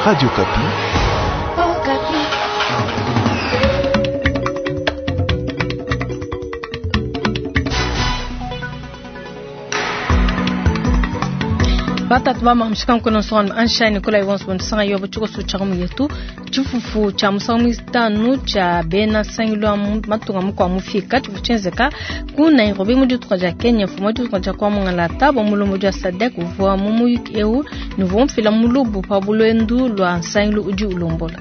Radio Okapi. Batatu ba mshika mkono sona ansha Nicola Iwons bonsanga yo buchuko sucha mu yetu tshifufu tsha musangu mitanu tsha bena sangilwa matunga mukwa mufika tshifuchenzeka ku Nairobi mu ditunga dia Kenya mfumu wa ditunga dia kwa mungalata bo mulombo dia SADC uvua mu muyuki eu nuvua mfila mulubu pa bulwendu lwa nsangilu udi ulombola.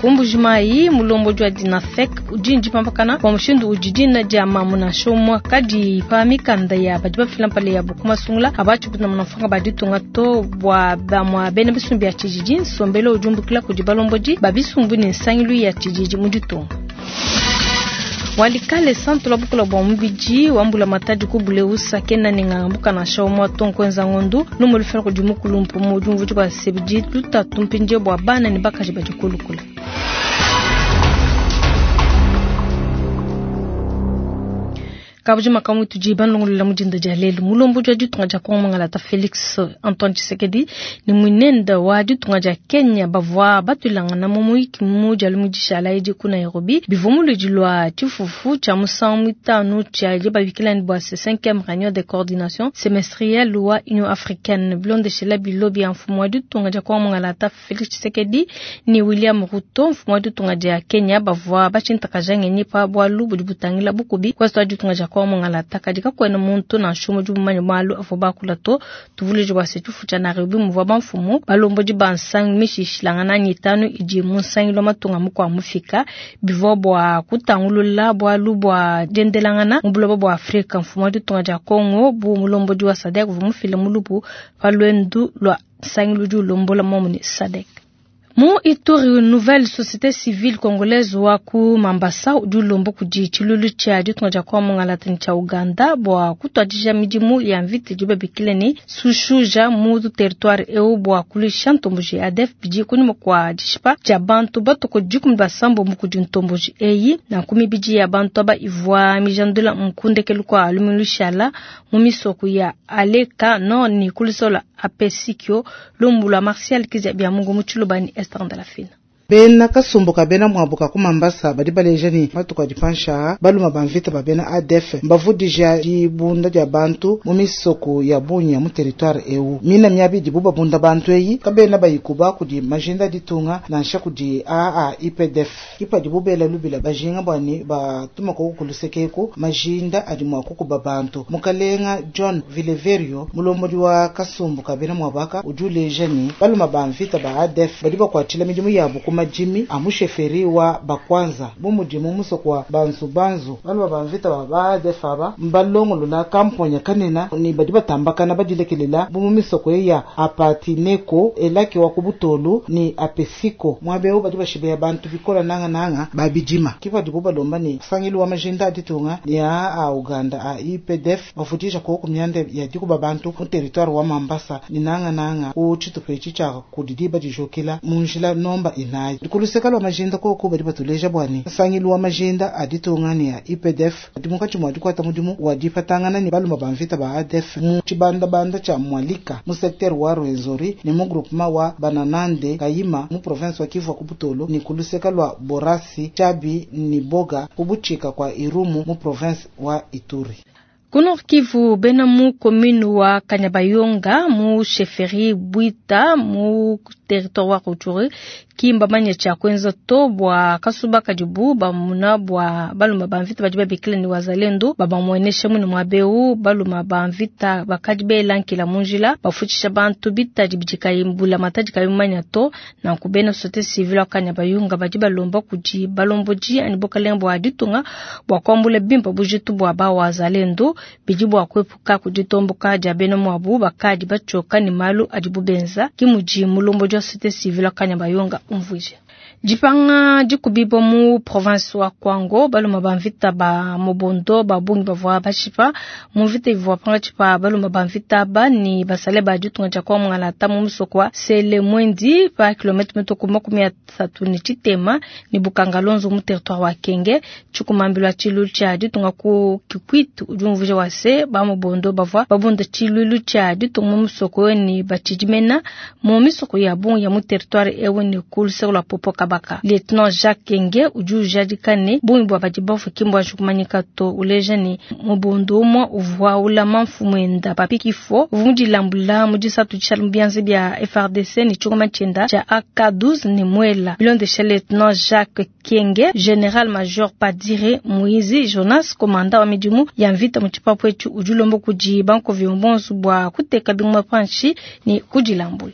Ku Mbuji-Mayi mulombodi wa Dinafek udi ndipampakana bua mushindu udi dina dia mamu nansha umue kadi pa mikanda ya badi bafila mpala yabu ku masungula abatshipuna munafanga ba ditunga to bua bamua bena bisumbu bia tshididi nsombelu udi umbukila kudi balombodi ba bisumbu ne nsangilu ya tshididi mu ditunga. Walikale santu la bukola bua mubidi wambula matadi ku buleusa kena ne ngangambuka nansha umue to nkuenza ngondu lumu lufela kudi mukulumpu mu diumvuija bua sebidi lutatu mpindie bua bana ne bakaji badi kulukula. Kabujima makamu tudi banlongolola mu dinda dia lelu mulombodi wa ditunga dia Kongo Mangalata Felix Antoine Tshisekedi ne muinende wa ditunga dia Kenya bavua batuilangana mu muyiki mu dia lumu dishala edi ku Nairobi bivua muludi lua tshifufu tshia musangu mitanu tshia babikila ne bua ce 5e réunion de coordination semestrielle wa Union africaine bilondeshela bilo bia mfumu wa ditunga dia Kongo Mangalata Felix Tshisekedi ne William Ruto mfumu wa ditunga dia Kenya bavua batshintakaja ngenyi pa bualu budi butangila bukubi kwa ditunga dia Kongo Mangalata kadi kakuena muntu nansha umue udi mumanye malu avua bakula to. Tuvuluije bua se tshifu tshia Nairobi muvua bamfumu balombodi ba nsangi mishishilangana anyi itanu idi mu nsangilu wa matunga mukua mufika bivua bua kutangulula bualu bua diendelangana mu buloba bua Afrika. Mfumu wa ditunga dia Kongo bu mulombodi wa SADC uvua mufile mulubu pa luendu lua nsangilu udi ulombola muomu ne SADC. Mu Ituri, nouvelle société civile congolaise wa ku Mambasa udi ulomba kudi tshilulu tshia ditunga dia Kongo Mangalata ne tshia Uganda bua kutuadija midimu ya mvita idibu babikila ne Sushuja mu territoire eu bua kuluisha ntomboji ADF bidi kunyima kua dishipa dia bantu batuku 17 kudi ntomboji eyi na nkumi ibidi ya bantu aba ivua mijandula nkundekelu kua lumingu lushala mu misoko ya Aleka Nord ne kulusola Apesikio lumbu lua Martial Kizia bia Mungu mu Tshiluba ne Esther Ndalafina. Bena kasumbu ka bena muabu ka ku Mambasa badi baleja ne matuku adi pansha baluma ba mvita ba bena ADF mbavudija dibunda dia bantu mu misoko ya bungi ya mu territoire eu. Mina miabi idibu babunda bantu eyi kabena bayikuba kudi majinda ditunga nansha kudi AAIPDF. Kipadibu bela lubila bajinga bua ne batuma koku kulusekeku majinda adi mua kukuba bantu. Mukalenga John Vileverio mulombodi wa kasumbu ka bena muabaka udi uleja ne baluma ba mvita ba ADF badi bakuatshila midimu yabu ku majimi a musheferi wa bakwanza bu mudimu musoko wa banzu-banzu baluma ba mvita ba ba ADF aba mbalongolola kamponya kanena ne badi batambakana badilekelela bu mu misoko ya Apatineko elaki wa kubutolu ni Apesiko muabe badi bashibeya bantu bikola nanga-nanga babidima kipadibu balomba ne sangilu wa majinda aditunga ne a a Uganda a IPDF bafudisha koku myanda ya dikuba bantu mu territoire wa Mambasa ni nanga-nanga ku tshitupa etshi tshia kudi badijokela mu njila nomba inayi. Dikuluseka lwa majinda koko badi batuleja bwani nsangilu wa majinda aditunga ne ya IPDF adi munkatshi mua dikuata mudimu wa dipatangana ne baluma ba mvita ba ADF mu tshibandabanda tshia Mwalika mu secteur wa Rwenzori ne mu groupement wa Bananande Kayima mu province wa Kivu ku Butolo ne kuluseka lwa Borasi Chabi ni Boga kubutshika kwa Irumu mu province wa Ituri. Ku Nord Kivu bena mu commune wa Kanyabayonga mu chefferie Bwita mu territoire wa Rutshuru kimba manya tshia kuenza to bua kasuba kadibu bamuna bua baluma ba mvita badi babikila ni wazalendo babamuenesha mune muabeu baluma ba mvita bakadi belankila munjila bafutshisha bantu bitadi bidikayi mbula matadi kayi manya to na kubena société civile wa Kanyabayonga badi balomba kudi balombodi ani bokalenga bua ditunga bua kuambula bimpa bujitu bua ba wazalendo bidi bua kuepuka kuditomboka dia bena muabu bakadi batshoka ne malu adibu benza kimudi mulombodi wa société civile wa Kanyabayonga umvuije. Dipanga dikubibo mu province wa Kwango baluma ba mvita ba Mobondo babungi bavua bashipa mu mvita ivua pangatshi pa baluma ba mvita ba ni basale ba ditunga dia Kongo Mangalata mu musoko wa Sele Mwendi pa kilomètre mitoko 33 ni Bukangalonzo mu territoire wa Kenge tshikumambilwa tshilu tshia ditunga ku Kikwit udi umvuija. uleja wa se ba mobondo bavua babunda tshiluilu tshia ditunga mu musoko ne batshidi mena mu misoko ya bungi ya mu territoire ewu ne ku luseke lua Popokabaka. Lieutenant Jacques Kenge udi ujadika ne bungi bua badi bafue ki mbuanji kumanyika to, uleja ne mobondo umue uvua ulama mfumuenda Papi Kifo uvua mudilambula mu disatu dishala mu bianza bia FARDC ne tshingoma tshienda tshia AK-12 ne muela. Bilondesha Lieutenant Jacques Kenge, General Major Padire Muizi Jonas, komanda wa midimu ya mvita mu tshipapu etshi, udi ulomba kudi bankovi bonso bua kuteka bingoma panshi ne kudilambula.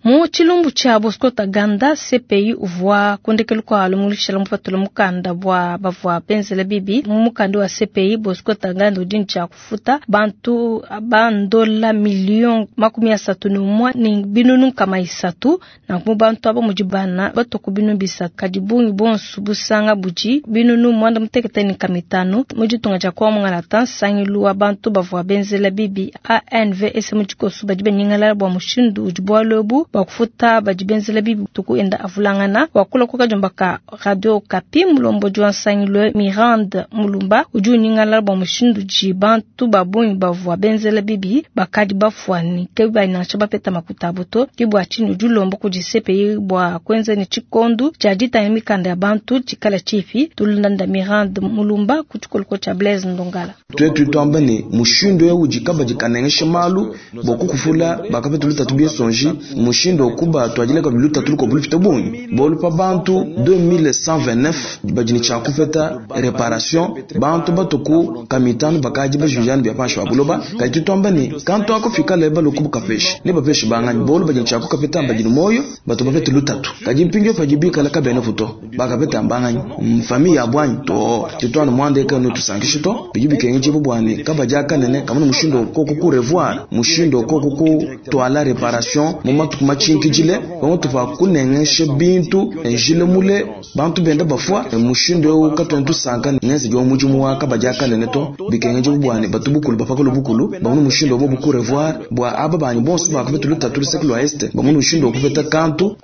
Mu tshilumbu tshia Bosco Ntaganda, CPI uvua kundekelu kua lumulushila mupatula mukanda bua bavua benzela bibi. Mu mukanda wa CPI, Bosco Ntaganda udi ne tshia kufuta bantu bandola million 31 ne binunu nkama isatu. Nanku mu bantu aba mudi bana batwa ku binunu bisatu, kadi bungi bonso busanga budi binunu 95 500. Mu ditunga dia Kongo Mungalata, nsangilu wa bantu bavua benzela bibi ANVS mu tshikoso badi banyingalala bua mushindu udi bualu ebu bua kufuta badi benzela bibi tuku enda avulangana. Wakula ku kadiomba ka Radio Okapi, mulombodi wa nsangilu Mirande Mulumba udi unyingalala bua mushindu udi bantu ba bungi bavua benzela bibi bakadi bafuane ke nansha bapeta makuta abo to. Ke bua tshinyi udi ulomba kudi CPI bua kuenza ne tshikondu tshia ditanga mikanda ya bantu tshikala tshipi. Tulanda Mirande Mulumba ku tshikoloko tshia Blaise Ndongala. Twetu twamba ne mushindu eu udi kabadi kanengesha malu bua kukufula bakapeta lutatu biesonji mushindu okuba twajile kabidi lutatu lukobu lupita bungi bolu pa bantu 2129 badi ne tshia kupeta reparation bantu batuku kamitanu bakaji bajujana bia panshi pa buloba kadi tutwamba ne kantu akufika leba lukubu kapeshe ne bapeshe banganyi bolu badi ne tshia kukapeta badi ne moyo batu bapete lutatu kadi mpindio padi bikala kabene futo bakapeta mbanganyi mfamiya ya bwanyi to tutwana mwandeka no tusankishe to bidi bikengeje bubwane kabadi akanene kamuna mushindo okoko ku revoir mushindo okoko ku twala reparation mu matuku machinkijile pamutu pa kunengeshe bintu njile mule bantu benda bafua mushindo eu katwena tusanka ngenze jo mudimu wa kabadi akanene to bikengeje bubwane batu bukulu bapakalo bukulu bamuna mushindo obo ku revoir bwa aba banyi bonso bakapeta lutatu luseke lwa este bamuna mushindo okupeta kantu.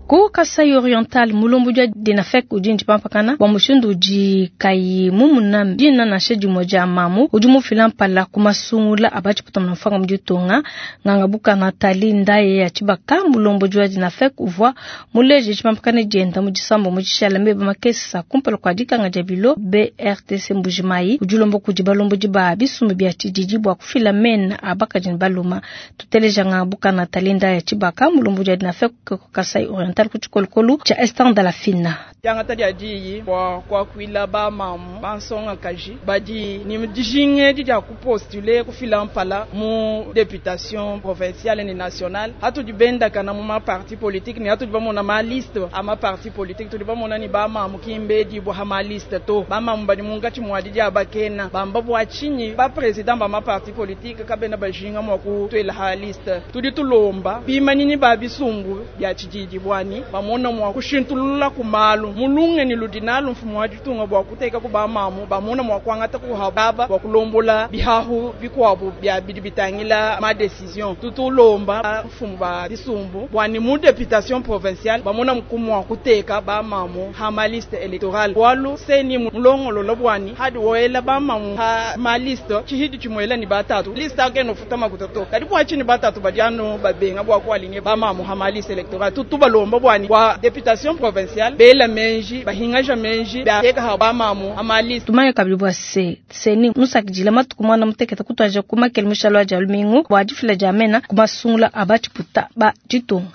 Ku Kasai Oriental mulombo dia Dinafek udi njipampakana bua mushindu udi kayi mumuna dina nansha dimue dia mamu udi mufila mpala ku masungula abatshiputa mfanga mu ditunga. Nganga buka Nathalie Ndaye ya Tshibaka mulombo dia Dinafek uvua muleje tshipampakana dienda mu disambo mu tshishala meba makesa kumpala kua dikanga dia bilo BRTC Mbujimayi udi ulomba kudi balombo diba bisumbu bia tshididi bua kufila mena abakaji ne baluma. Tuteleja nganga buka Nathalie Ndaye ya Tshibaka mulombo dia Dinafek ku Kasai Oriental ku tshikolokolo tshia Esther de la Fina. Diangata dia diyi bua kuakuila ba mamu bansonga kaji badi ni dijinge dia kupostule kufila mpala mu députation provinciale ni nationale hatudi benda kana mu ma parti politique ni hatudi bamona ma liste a ma parti politique tudi bamona ni ba mamu kimbedi bua ha ma liste to ba mamu badi mungachi muadi dia bakena bamba bua chinyi ba président ba ma parti politique kabena bajinga mwa kutwela ha liste tudi tulomba bimanini ba bisumbu bia tshididi bwani bamona mwa kushintulula kumalu mulunge ni ludinalu mfumo wa ditunga bua kuteka ku bamamu bamona mwa kuangata ku hababa bua kulombola bihahu bikuabu bia bidi bitangila ma decision tutulomba mfumo ba bisumbu bwani mu députation provinciale bamona mkumu wa kuteka bamamu ha ma liste électorale walu seni mulongolo bwani hadi woela bamamu ha ma liste chihidi chimwela ni batatu liste akeno futa makutoto kadi bwa chini batatu badiano babenga bua kualinye bamamu ha ma liste électorale tutubalomba bwani wa députation provinciale bela menji bahingaja menji bateka ha bamamu amaliste tumanye kabili bwa se seni musakidila matuku mwana muteketa kutwaja kumakele mushalo wa jalumingu bwa difila dia mena kumasungula abatshiputa ba ditunga.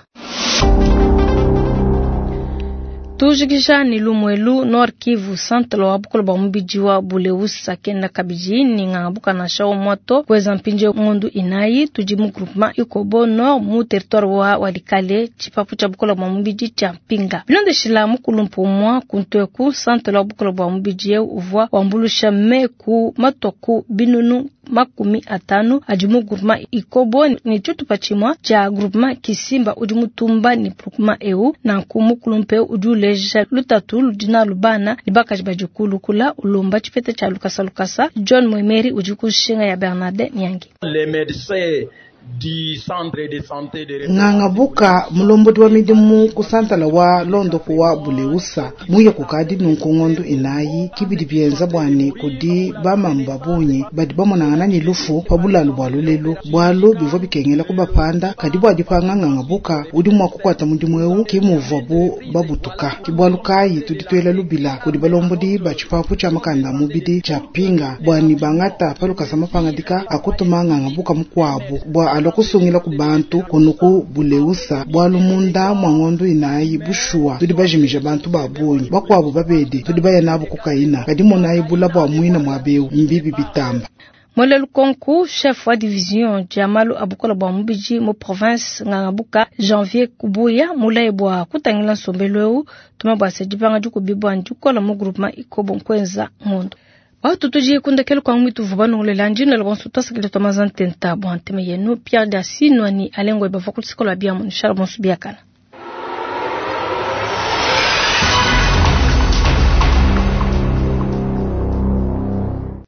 Tujikisha ni lumwelu Nord Kivu Centre wa bukolo bwa mubidi wa Buleusa kenda kabidi ni ngangabuka na shao moto kweza mpinje ngondu inayi tudi mu groupement Ikobo Nord mu territoire wa Walikale chipapu cha bukolo bwa mubidi cha Mpinga. Bilondeshila mukulumpu mwa kuntweku Centre wa bukolo bwa mubidi uvwa wambulusha meku matoku binunu 50 adi mu groupement Ikobo ni tshitupa tshimue tshia groupement Kisimba udi mutumba ni groupement eu nanku mukulumpe udi uleja lutatu ludina lubana ni bakaji badi kula ulomba tshipeta tshia lukasa lukasa. John Mwemeri udi kushinga ya Bernardet Nyangi. Les médecins Nganga buka mulombodi wa midimu ku santala wa londopu wa Buleusa muye kukadi nunku ngondo inayi kibidi byenza bwane kudi bamamu babunyi badi bamonangana ni lufu pa bulalu bwa lulelu bwalu bivua bikengela kubapanda kadi bua dipanga nganga buka udi mua kukwata mudimu eu kimuvua bu babutuka kibwalu kayi tudi twela lubila kudi balombodi ba tshipapu tshia makanda mubidi tshia pinga bwani bangata palukasa mapangadika akutuma nganga buka mukwabu bwa alua kusungila ku bantu kunuku buleusa bwalu munda mwa ngondo inayi bushuwa tudi bajimija bantu ba bungi bakwabo babedi tudi baya nabo kukaina kadi monayi bula bwa mwina mwa beu mbibi bitamba. Mwele Lukonku, chef wa division Jamalu abukola bwa mubiji mu province Ngangabuka Janvier Kubuya mulaye bwa kutangila nsombelu eu tuma bwa sedibanga dikubibwa ndikola mu groupement ikobo nkwenza ngondo. Watu tuji kundekelu kwa mwitu vubanu ulela njina lwansu tasikile tomaza ntenta bwa nteme yenu Pierre Dasinwa ni alengwe bavwa kulisikola bia mu nishala bonsu biakana.